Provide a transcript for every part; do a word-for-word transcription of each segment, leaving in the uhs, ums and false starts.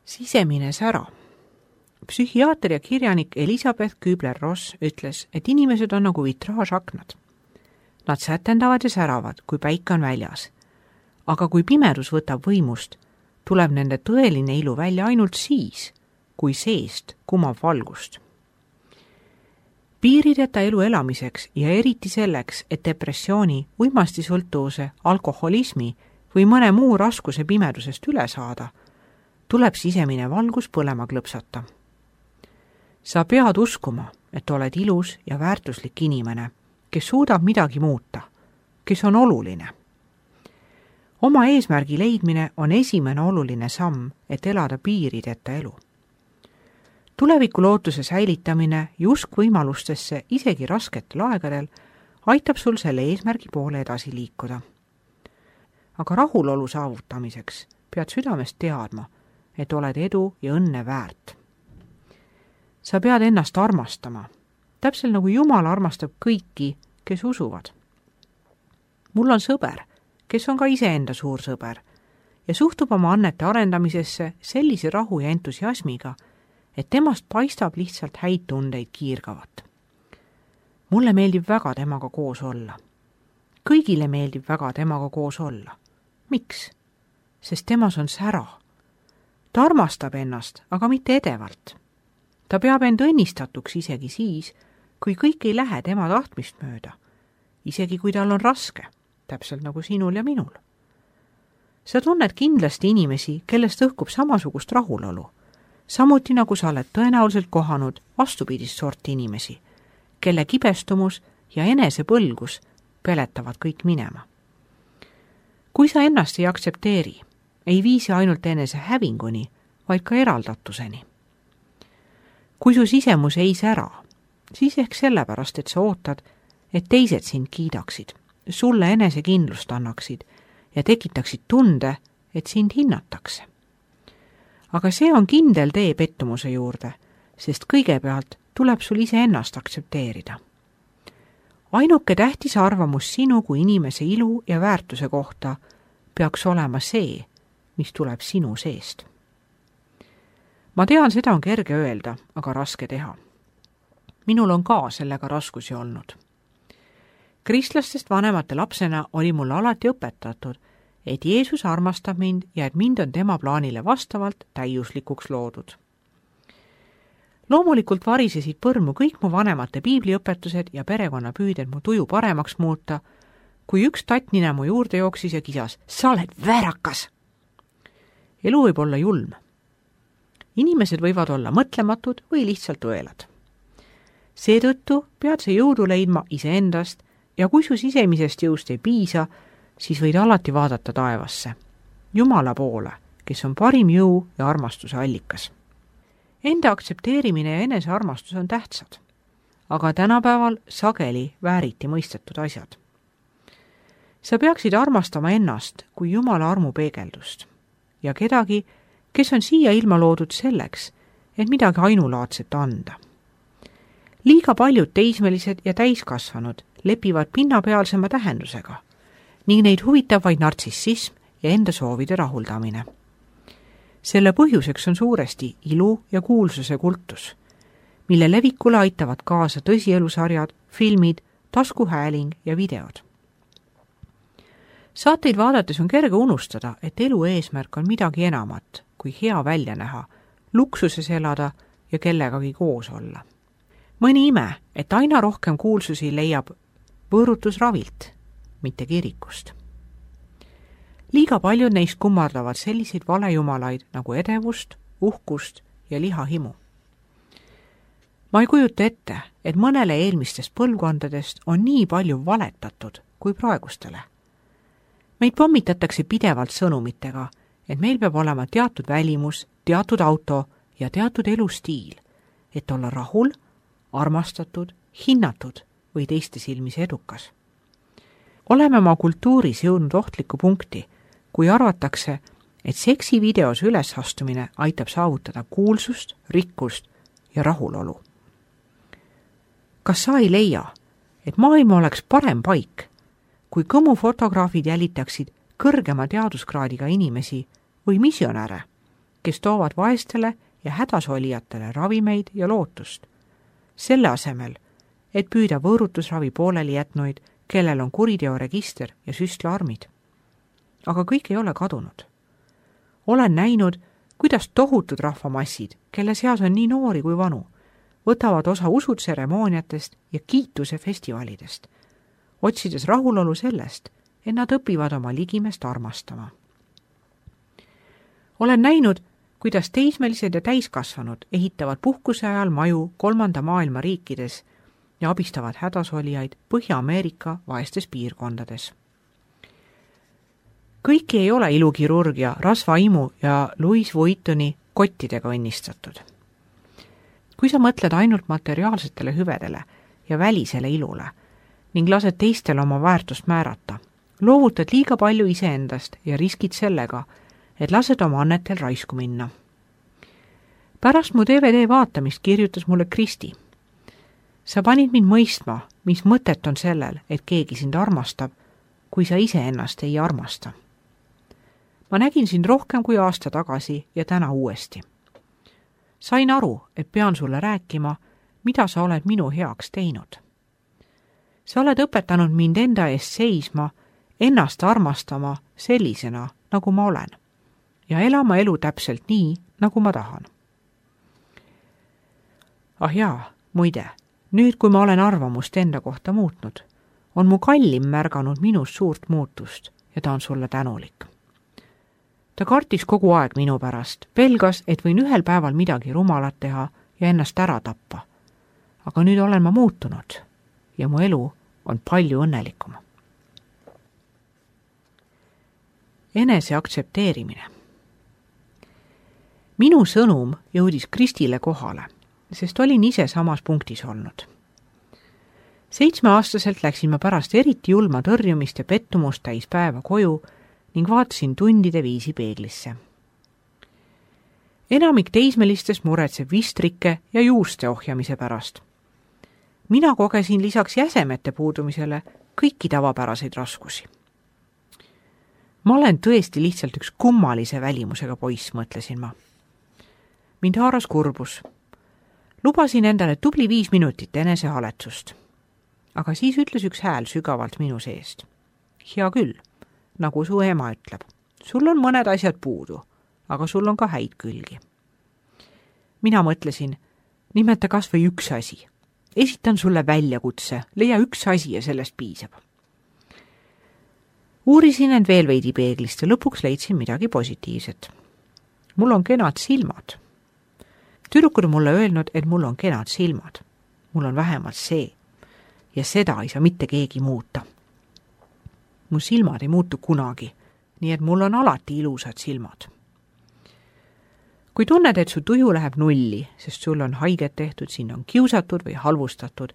Sisemine sära. Psühhiaater ja kirjanik Elisabeth Kübler-Ross ütles, et inimesed on nagu vitraažaknad. Nad sätendavad ja säravad, kui päike on väljas. Aga kui pimedus võtab võimust, tuleb nende tõeline ilu välja ainult siis, kui seest kumab valgust. Piirideta elu elamiseks ja eriti selleks, et depressiooni, uimastisõltuvuse, alkoholismi või mõne muu raskuse pimedusest üle saada, tuleb sisemine valgus põlema klõpsata. Sa pead uskuma, et oled ilus ja väärtuslik inimene, kes suudab midagi muuta, kes on oluline. Oma eesmärgi leidmine on esimene oluline samm, et elada piirideta elu. Tuleviku lootuse säilitamine ja usk võimalustesse isegi rasketel aegadel aitab sul selle eesmärgi poole edasi liikuda. Aga rahulolu saavutamiseks pead südamest teadma, et oled edu ja õnne väärt. Sa pead ennast armastama, täpselt nagu Jumal armastab kõiki, kes usuvad. Mul on sõber, kes on ka iseenda suur sõber ja suhtub oma annete arendamisesse sellise rahu ja entusiasmiga, et temast paistab lihtsalt häid tundeid kiirgavat. Mulle meeldib väga temaga koos olla. Kõigile meeldib väga temaga koos olla. Miks? Sest temas on sära. Ta armastab ennast, aga mitte edevalt. Ta peab end õnnistatuks isegi siis, kui kõik ei lähe tema tahtmist mööda, isegi kui tal on raske, täpselt nagu sinul ja minul. Sa tunned kindlasti inimesi, kellest õhkub samasugust rahulolu, samuti nagu sa oled tõenäoliselt kohanud vastupidist sorti inimesi, kelle kibestumus ja enesepõlgus peletavad kõik minema. Kui sa ennast ei aktsepteeri, ei viisi ainult enese hävinguni, vaid ka eraldatuseni. Kui su sisemus ei sära, siis ehk sellepärast, et sa ootad, et teised sind kiidaksid, sulle enesekindlust annaksid ja tekitaksid tunde, et sind hinnatakse. Aga see on kindel tee pettumuse juurde, sest kõigepealt tuleb sul ise ennast aktsepteerida. Ainuke tähtis arvamus sinu kui inimese ilu ja väärtuse kohta peaks olema see, mis tuleb sinu seest. Ma tean, seda on kerge öelda, aga raske teha. Minul on ka sellega raskusi olnud. Kristlastest vanemate lapsena oli mulle alati õpetatud, et Jeesus armastab mind ja et mind on tema plaanile vastavalt täiuslikuks loodud. Loomulikult varisesid põrmu kõik mu vanemate piibliõpetused ja perekonna püüded mu tuju paremaks muuta, kui üks tattnina mu juurde jooksis ja kisas, sa oled väärakas! Elu võib olla julm. Inimesed võivad olla mõtlematud või lihtsalt õelad. Seetõttu pead sa jõudu leidma iseendast ja kui su sisemisest jõust ei piisa, siis võid alati vaadata taevasse, Jumala poole, kes on parim jõu ja armastuse allikas. Enda aktsepteerimine ja enesearmastus on tähtsad, aga tänapäeval sageli vääriti mõistetud asjad. Sa peaksid armastama ennast kui Jumala armu peegeldust ja kedagi, kes on siia ilma loodud selleks, et midagi ainulaadset anda. Liiga paljud teismelised ja täiskasvanud lepivad pinnapealsema tähendusega ning neid huvitab vaid nartsissism ja enda soovide rahuldamine. Selle põhjuseks on suuresti ilu ja kuulsuse kultus, mille levikule aitavad kaasa tõsielusarjad, filmid, taskuhääling ja videod. Saateid vaadates on kerge unustada, et elu eesmärk on midagi enamat kui hea välja näha, luksuses elada ja kellegagi koos olla. Mõni ime, et aina rohkem kuulsusi leiab võõrutusravilt, mitte kirikust. Liiga paljud neist kummardavad selliseid valejumalaid nagu edevust, uhkust ja lihahimu. Ma ei kujuta ette, et mõnele eelmistest põlvkondadest on nii palju valetatud kui praegustele. Meid pommitatakse pidevalt sõnumitega, et meil peab olema teatud välimus, teatud auto ja teatud elustiil, et olla rahul, armastatud, hinnatud või teiste silmis edukas. Oleme oma kultuuris jõudnud ohtliku punkti, kui arvatakse, et seksivideos ülesastumine aitab saavutada kuulsust, rikkust ja rahulolu. Kas sa ei leia, et maailm oleks parem paik, kui kõmufotograafid jälitaksid kõrgema teaduskraadiga inimesi või missionäre, kes toovad vaestele ja hädasolijatele ravimeid ja lootust. Selle asemel, et püüda võõrutusravi pooleli jätnuid, kellel on kuriteoregister ja süstlaarmid. Aga kõik ei ole kadunud. Olen näinud, kuidas tohutud rahvamassid, kelle seas on nii noori kui vanu, võtavad osa usutseremooniatest ja kiituse festivalidest, otsides rahulolu sellest, et nad õpivad oma ligimest armastama. Olen näinud, kuidas teismelised ja täiskasvanud ehitavad puhkuse ajal maju kolmanda maailma riikides ja abistavad hädasolijaid Põhja-Ameerika vaestes piirkondades. Kõiki ei ole ilukirurgia, rasvaimu ja Louis Vuittoni kottidega õnnistatud. Kui sa mõtled ainult materiaalsetele hüvedele ja välisele ilule ning lased teistele oma väärtust määrata, loovutad liiga palju iseendast ja riskid sellega, et lased oma annetel raisku minna. Pärast mu D V D vaatamist kirjutas mulle Kristi. Sa panid mind mõistma, mis mõtet on sellel, et keegi sind armastab, kui sa iseennast ei armasta. Ma nägin sind rohkem kui aasta tagasi ja täna uuesti. Sain aru, et pean sulle rääkima, mida sa oled minu heaks teinud. Sa oled õpetanud mind enda eest seisma, ennast armastama sellisena, nagu ma olen, ja elama elu täpselt nii, nagu ma tahan. Ah jaa, muide, nüüd kui ma olen arvamust enda kohta muutnud, on mu kallim märganud minus suurt muutust ja ta on sulle tänulik. Ta kartis kogu aeg minu pärast, pelgas, et võin ühel päeval midagi rumalat teha ja ennast ära tappa. Aga nüüd olen ma muutunud ja mu elu on palju õnnelikum. Enese aktsepteerimine. Minu sõnum jõudis Kristile kohale, sest olin ise samas punktis olnud. Seitsmeaastaselt läksin ma pärast eriti julma tõrjumist ja pettumust täis päeva koju ning vaatasin tundide viisi peeglisse. Enamik teismelistest muretseb vistrike ja juuste ohjamise pärast. Mina kogesin lisaks jäsemete puudumisele kõiki tavapäraseid raskusi. Ma olen tõesti lihtsalt üks kummalise välimusega poiss, mõtlesin ma. Mind haaras kurbus. Lubasin endale tubli viis minutit enesehaletsust. Aga siis ütles üks hääl sügavalt minu seest. Hea küll, nagu su ema ütleb. Sul on mõned asjad puudu, aga sul on ka häid külgi. Mina mõtlesin, nimeta kas või üks asi. Esitan sulle väljakutse, leia üks asi ja sellest piisab. Uurisin end veel veidi peeglist ja lõpuks leidsin midagi positiivset. Mul on kenad silmad. Tüdrukud on mulle öelnud, et mul on kenad silmad. Mul on vähemalt see. Ja seda ei saa mitte keegi muuta. Mu silmad ei muutu kunagi, nii et mul on alati ilusad silmad. Kui tunned, et su tuju läheb nulli, sest sul on haiget tehtud, sind on kiusatud või halvustatud,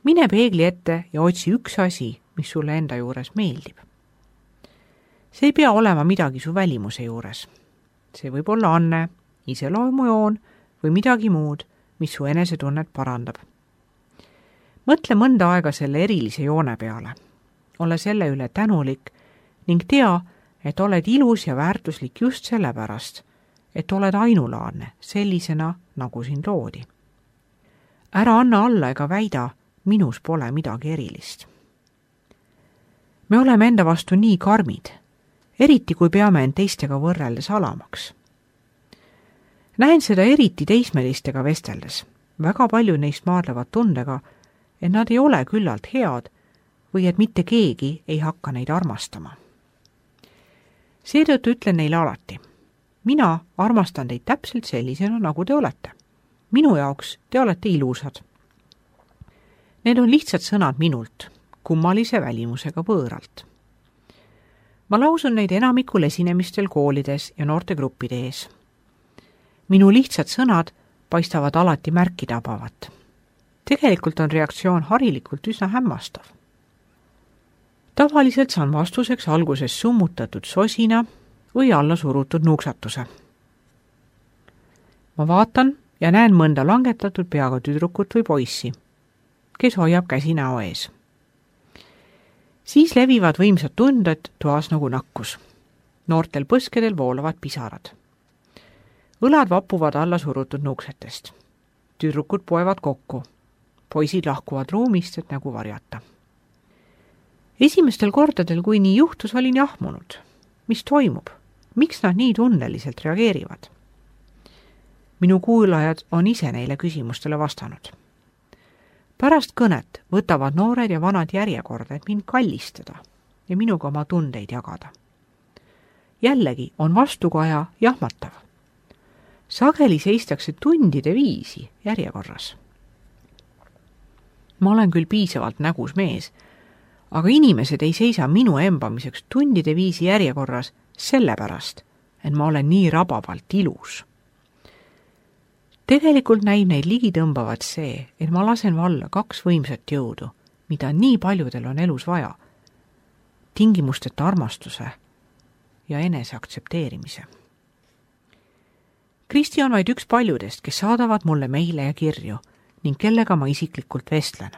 mine peegli ette ja otsi üks asi, mis sulle enda juures meeldib. See ei pea olema midagi su välimuse juures. See võib olla anne, iseloomujoon või midagi muud, mis su enesetunnet parandab. Mõtle mõnda aega selle erilise joone peale. Ole selle üle tänulik ning tea, et oled ilus ja väärtuslik just sellepärast, et oled ainulaadne sellisena, nagu sind loodi. Ära anna alla ega väida, minus pole midagi erilist. Me oleme enda vastu nii karmid, eriti kui peame end teistega võrreldes alamaks. Näen seda eriti teismelistega vesteldes. Väga palju neist maadlevad tundega, et nad ei ole küllalt head või et mitte keegi ei hakka neid armastama. Seetõttu ütlen neile alati, mina armastan teid täpselt sellisena, nagu te olete. Minu jaoks te olete ilusad. Need on lihtsad sõnad minult, kummalise välimusega võõralt. Ma lausun neid enamikul esinemistel koolides ja noortegruppide ees. Minu lihtsad sõnad paistavad alati märki tabavat. Tegelikult on reaktsioon harilikult üsna hämmastav. Tavaliselt saan vastuseks alguses summutatud sosina või alla surutud nuksatuse. Ma vaatan ja näen mõnda langetatud peaga tüdrukut või poissi, kes hoiab käsi näo ees. Siis levivad võimsad tunded toas nagu nakkus. Noortel põskedel voolavad pisarad. õlad vapuvad alla surutud nuksetest. Tüdrukud poevad kokku. Poisid lahkuvad ruumist, et nägu varjata. Esimestel kordadel, kui nii juhtus, olin jahmunud. Mis toimub? Miks nad nii tunneliselt reageerivad? Minu kuulajad on ise neile küsimustele vastanud. Pärast kõnet võtavad noored ja vanad järjekorda, et mind kallistada ja minuga oma tundeid jagada. Jällegi on vastukaja jahmatav. Sageli seistakse tundide viisi järjekorras. Ma olen küll piisavalt nägus mees, aga inimesed ei seisa minu embamiseks tundide viisi järjekorras sellepärast, et ma olen nii rabavalt ilus. Tegelikult näib neid ligi tõmbavat see, et ma lasen valla kaks võimsat jõudu, mida nii paljudel on elus vaja. Tingimusteta armastuse ja enese aktsepteerimise. Kristi on vaid üks paljudest, kes saadavad mulle meile ja kirju ning kellega ma isiklikult vestlen.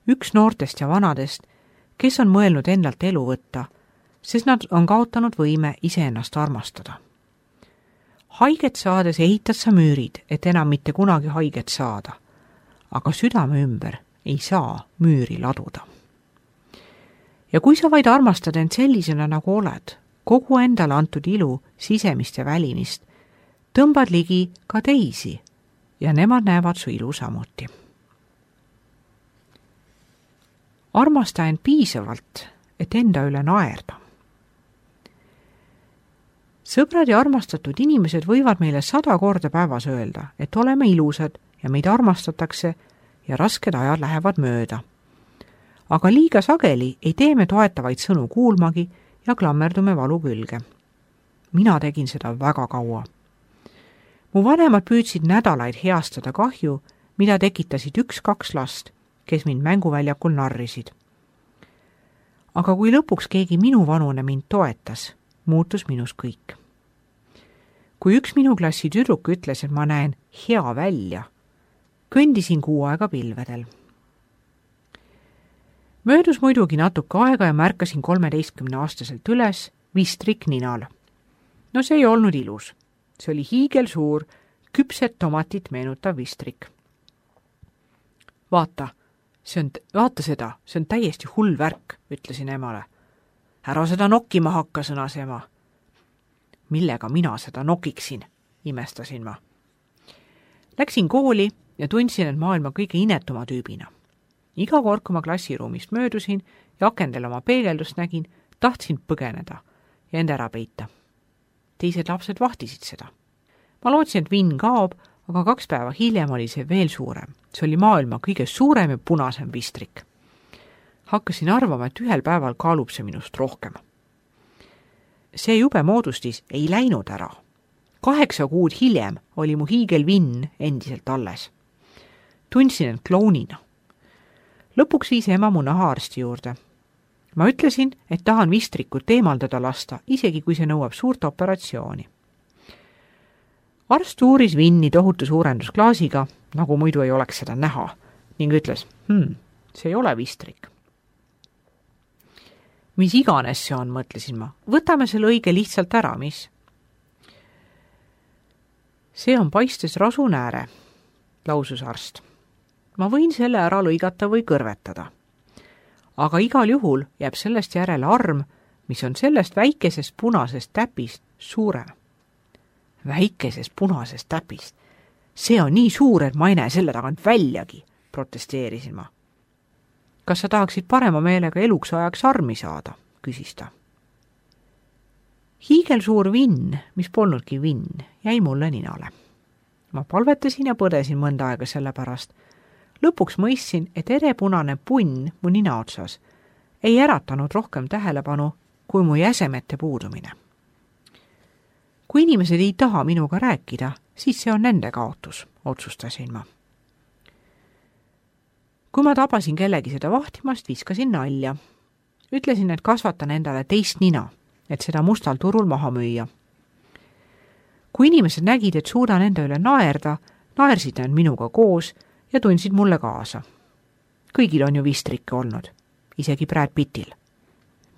Üks noortest ja vanadest, kes on mõelnud endalt elu võtta, sest nad on kaotanud võime iseennast armastada. Haiget saades ehitad sa müürid, et enam mitte kunagi haiget saada, aga südame ümber ei saa müüri laduda. Ja kui sa vaid armastad end sellisena, nagu oled, kogu endale antud ilu, sisemist ja välimist, tõmbad ligi ka teisi ja nemad näevad su ilu samuti. Armasta end piisavalt, et enda üle naerda. Sõbrad ja armastatud inimesed võivad meile sada korda päevas öelda, et oleme ilusad ja meid armastatakse ja rasked ajad lähevad mööda. Aga liiga sageli ei tee me toetavaid sõnu kuulmagi ja klammerdume valu külge. Mina tegin seda väga kaua. Mu vanemad püüdsid nädalaid heastada kahju, mida tekitasid üks-kaks last, kes mind mänguväljakul narrisid. Aga kui lõpuks keegi minu vanune mind toetas, muutus minus kõik. Kui üks minu klassi tüdruk ütles, et ma näen hea välja, kõndisin kuu aega pilvedel. Möödus muidugi natuke aega ja märkasin kolmeteistkümne aastaselt üles vistrik ninal. No see ei olnud ilus. See oli hiigelsuur, küpset tomatit meenutav vistrik. Vaata, see on, vaata seda, see on täiesti hull värk, ütlesin emale. Ära seda nokkima hakka, sõnas ema. Millega mina seda nokiksin, imestasin ma. Läksin kooli ja tundsin, et maailma kõige inetuma tüübina. Iga kord, kui ma klassiruumist möödusin ja akendel oma peegeldust nägin, tahtsin põgeneda ja end ära peita. Teised lapsed vahtisid seda. Ma lootsin, et vinn kaob, aga kaks päeva hiljem oli see veel suurem. See oli maailma kõige suurem ja punasem vistrik. Hakkasin arvama, et ühel päeval kaalub see minust rohkem. See jube moodustis ei läinud ära. Kaheksa kuud hiljem oli mu hiigelvinn endiselt alles. Tundsin end klounina. Lõpuks viis ema mu nahaarsti juurde. Ma ütlesin, et tahan vistrikut eemaldada lasta, isegi kui see nõuab suurt operatsiooni. Arst uuris vinni tohutu suurendusklaasiga, nagu muidu ei oleks seda näha, ning ütles, hmm, see ei ole vistrik. Mis iganes see on, mõtlesin ma. Võtame selle õige lihtsalt ära, mis? See on paistes rasunääre, lausus arst. Ma võin selle ära lõigata või kõrvetada. Aga igal juhul jääb sellest järele arm, mis on sellest väikesest punasest täpist suurem. Väikesest punasest täpist. See on nii suur, et ma ei näe selle tagant väljagi, protesteerisin ma. Kas sa tahaksid parema meelega eluks ajaks armi saada, küsis ta. Hiigelsuur vinn, mis polnudki vinn, jäi mulle ninale. Ma palvetasin ja põdesin mõnda aega selle pärast. Lõpuks mõistsin, et erepunane punn mu nina otsas ei äratanud rohkem tähelepanu kui mu jäsemete puudumine. Kui inimesed ei taha minuga rääkida, siis see on nende kaotus, otsustasin ma. Kui ma tabasin kellegi seda vahtimast, viskasin nalja. Ütlesin, et kasvatan endale teist nina, et seda mustal turul maha müüa. Kui inimesed nägid, et suudan enda üle naerda, naersid nad minuga koos ja tundsid mulle kaasa. Kõigil on ju vistrikke olnud, isegi Brad Pittil.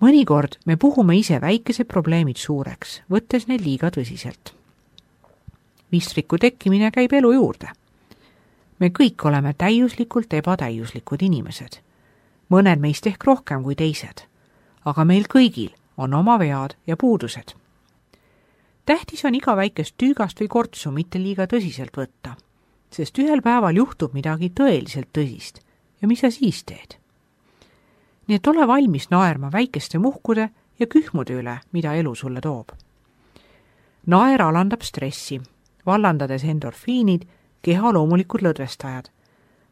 Mõnikord me puhume ise väikesed probleemid suureks, võttes neid liiga tõsiselt. Vistriku tekkimine käib elu juurde. Me kõik oleme täiuslikult ebatäiuslikud inimesed. Mõned meist ehk rohkem kui teised, aga meil kõigil on oma vead ja puudused. Tähtis on iga väikest tüügast või kortsu mitte liiga tõsiselt võtta, sest ühel päeval juhtub midagi tõeliselt tõsist ja mis sa siis teed? Nii et ole valmis naerma väikeste muhkude ja kühmude üle, mida elu sulle toob. Naer alandab stressi, vallandades endorfiinid, keha loomulikud lõdvestajad,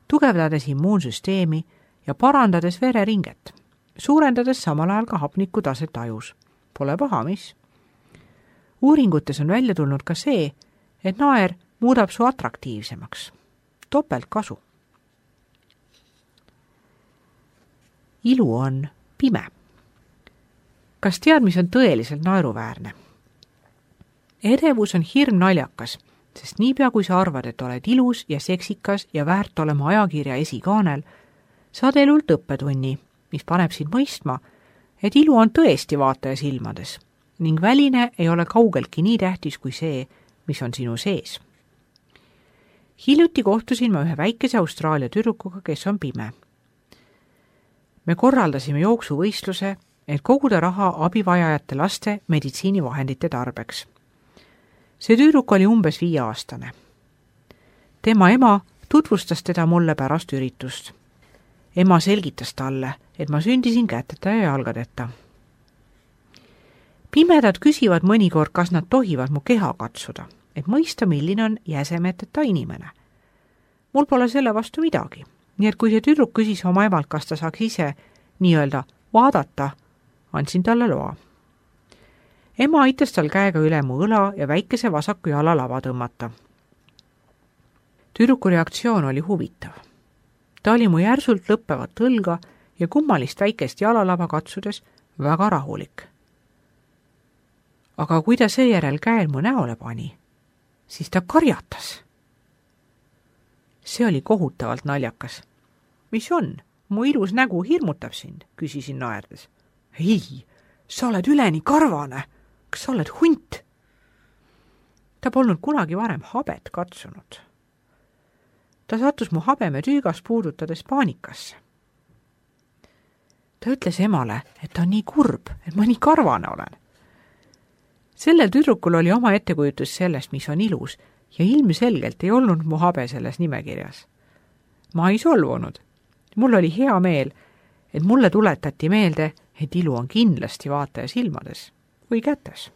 tugevdades immuunsüsteemi ja parandades vereringet, suurendades samal ajal ka hapniku taset ajus. Pole paha, mis? Uuringutes on välja tulnud ka see, et naer muudab su atraktiivsemaks. Topelt kasu. Ilu on pime. Kas tead, mis on tõeliselt naeruväärne? Edevus on hirm naljakas, sest niipea kui sa arvad, et oled ilus ja seksikas ja väärt olema ajakirja esikaanel, saad elult õppetunni, mis paneb sind mõistma, et ilu on tõesti vaataja silmades ning väline ei ole kaugeltki nii tähtis kui see, mis on sinu sees. Hiljuti kohtusin ma ühe väikese Austraalia tüdrukuga, kes on pime. Me korraldasime jooksuvõistluse, et koguda raha abivajajate laste meditsiinivahendite tarbeks. See tüdruk oli umbes viieaastane. Tema ema tutvustas teda mulle pärast üritust. Ema selgitas talle, et ma sündisin käteta ja jalgadeta. Pimedad küsivad mõnikord, kas nad tohivad mu keha katsuda, et mõista, milline on jäsemeteta inimene. Mul pole selle vastu midagi, nii et kui see tüdruk küsis oma emalt, kas ta saaks ise nii-öelda vaadata, andsin talle loa. Ema aitas tal käega üle mu õla ja väikese vasaku jala lava tõmmata. Tüdruku reaktsioon oli huvitav. Ta oli mu järsult lõppevat õlga ja kummalist väikest jalalava katsudes väga rahulik. Aga kui ta seejärel käel mu näole pani, siis ta karjatas. See oli kohutavalt naljakas. Mis on? Mu ilus nägu hirmutab sind, küsisin naerdes. Ei, sa oled üleni karvane. Kas sa oled hunt? Ta polnud kunagi varem habet katsunud. Ta sattus mu habeme tüügas puudutades paanikasse. Ta ütles emale, et ta on nii kurb, et ma nii karvane olen. Sellel tüdrukul oli oma ettekujutus sellest, mis on ilus, ja ilmselgelt ei olnud mu habe selles nimekirjas. Ma ei solvunud. Mul oli hea meel, et mulle tuletati meelde, et ilu on kindlasti vaataja silmades või kätes.